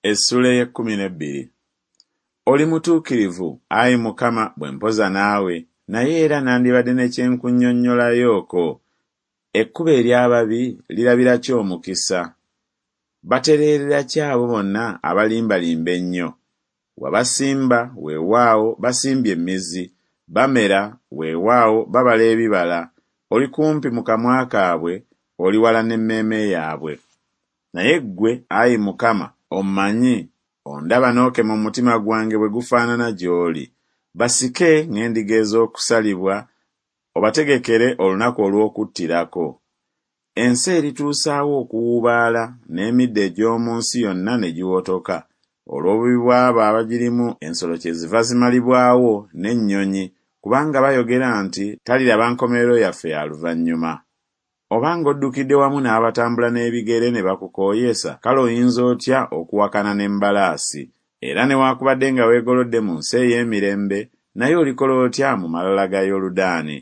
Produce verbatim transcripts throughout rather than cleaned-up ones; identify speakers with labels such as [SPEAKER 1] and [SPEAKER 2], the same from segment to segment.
[SPEAKER 1] Essuula ey'ekkumi n'ebbiri. Oli mutuukirivu, ayi Mukama, bwe mpoza naawe, naye era nandibadde ne kye nkunnyonnyolayooko. Ekkubo ery'ababi lirabira ki omukisa? Batereerera ki abo bonna abalimbalimba ennyo? Wabasimba, weewaawo basimbye emizi, bamera, weewaawo babala ebibala. Oli kumpi mu kamwa kaabwe, oli wala n'emmeeme yaabwe. Naye ggwe, ayi Mukama, ommanyi, ondaba n'okema omutima gwange bwe gufaanana gy'oli. Basike ng'endiga ez'okusalibwa, obategekere olunaku olw'okuttirako. Ensi erituusaawo okuwuubaala, n'emiddo egy'omu nsi yonna ne giwotoka. Olw'obubi bw'abo abagirimu ensolo kyeziva zimalibwawo n'ennyonyi, kubanga bayogera nti, Taliraba nkomerero yaffe ya luvannyuma. Obanga oddukidde wamu n'abatambula n'ebigere ne bakukooyesa, kale oyinza otya okuwakana n'embalaasi? Era newaakubadde nga weegolodde mu nsi ey'emirembe, naye olikola otya mu malala ga Yoludaani?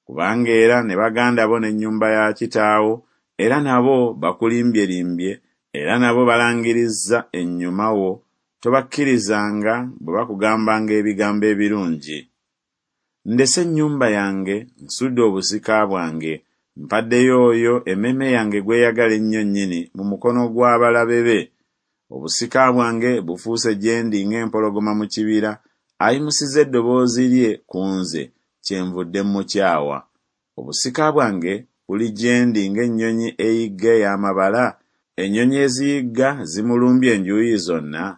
[SPEAKER 1] Kubanga era ne baganda bo n'ennyumba ya kitaawo, era nabo bakulimbyelimbye, era nabo balangirizza ennyuma wo, tobakkirizanga bwe bakugambanga ebigambo ebirungi. Ndese ennyumba yange, nsudde obusika bwange, mpaddeyo oyo emmeeme yange gw'eyagala ennyo nnyini mu mukono gw'abalabe be. Obusika bwange bufuuse gye ndi ng'empologoma mu kibira, ayimusizza eddoboozi lye ku nze, kyenvudde mmukyawa. Obusika bwange buli gye ndi ng'ennyonyi eyigga ey'amabala, ennyonyi eziyigga zimulumbye enjuuyi zonna.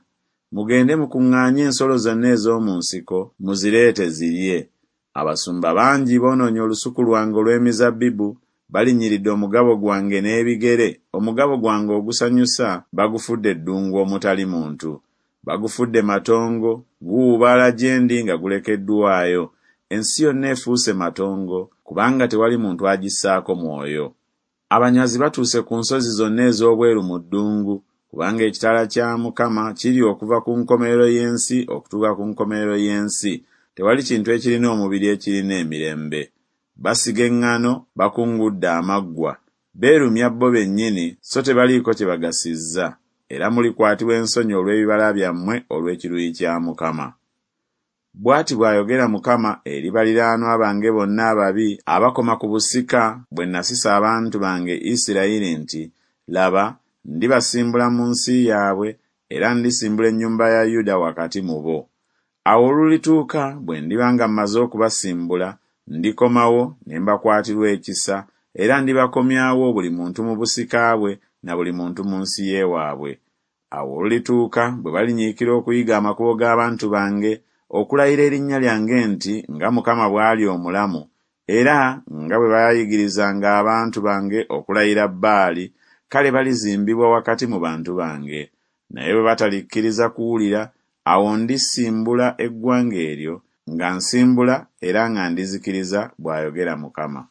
[SPEAKER 1] Mugende mukuŋŋaanye ensolo zonna ez'omu nsiko, muzireete zirye. Abasumba bangi boonoonye olusuku lwange olw'emizabbibu, balinnyiridde omugabo gwange n'ebigere, omugabo gwange ogusanyusa bagufudde eddungu omutali muntu. Bagufudde matongo, guwuubaala gye ndi nga gulekeddwayo. Ensi yonna efuuse matongo, kubanga tewali muntu agissaako mwoyo. Abanyazi batuuse ku nsozi zonna ez'obweru mu ddungu, kubanga ekitala kya Mukama kiri okuva ku nkomerero y'ensi okutuuka ku nkomerero y'ensi, tewali kintu ekirina omubiri ekirina emirembe. Basiga eŋŋano, bakungudde amaggwa, beerumya bo bennyini, so tebaliiko kye bagasizza. Era mulikwatibwa ensonyi olw'ebibala byammwe olw'ekiruyi kya Mukama. Bw'ati bw'ayogera Mukama eri baliraanwa bange bonna ababi abakoma ku busika bwe nasisa abantu bange Isirayiri nti, Laba, ndibasimbula mu nsi yaabwe, era ndisimbula ennyumba ya Yuda wakati mu bo. Awo olulituuka bwe ndiba nga mmaze okubasimbula, ndikomawo ne mbakwatirwa ekisa, era ndibakomyawo buli muntu mu busika bwe na buli muntu mu nsi y'ewaabwe. Awo olulituuka bwe balinyiikira okuyiga amakubo g'abantu bange, okulayira erinnya lyange nti, Nga Mukama bw'ali omulamu, era nga bwe baayigirizanga abantu bange okulayira Baali, kale balizimbibwa wakati mu bantu bange. Naye bwe batalikkiriza kuwulira, awo ndisimbula eggwanga eryo, nga nsimbula era nga ndizikiriza, bw'ayogera Mukama.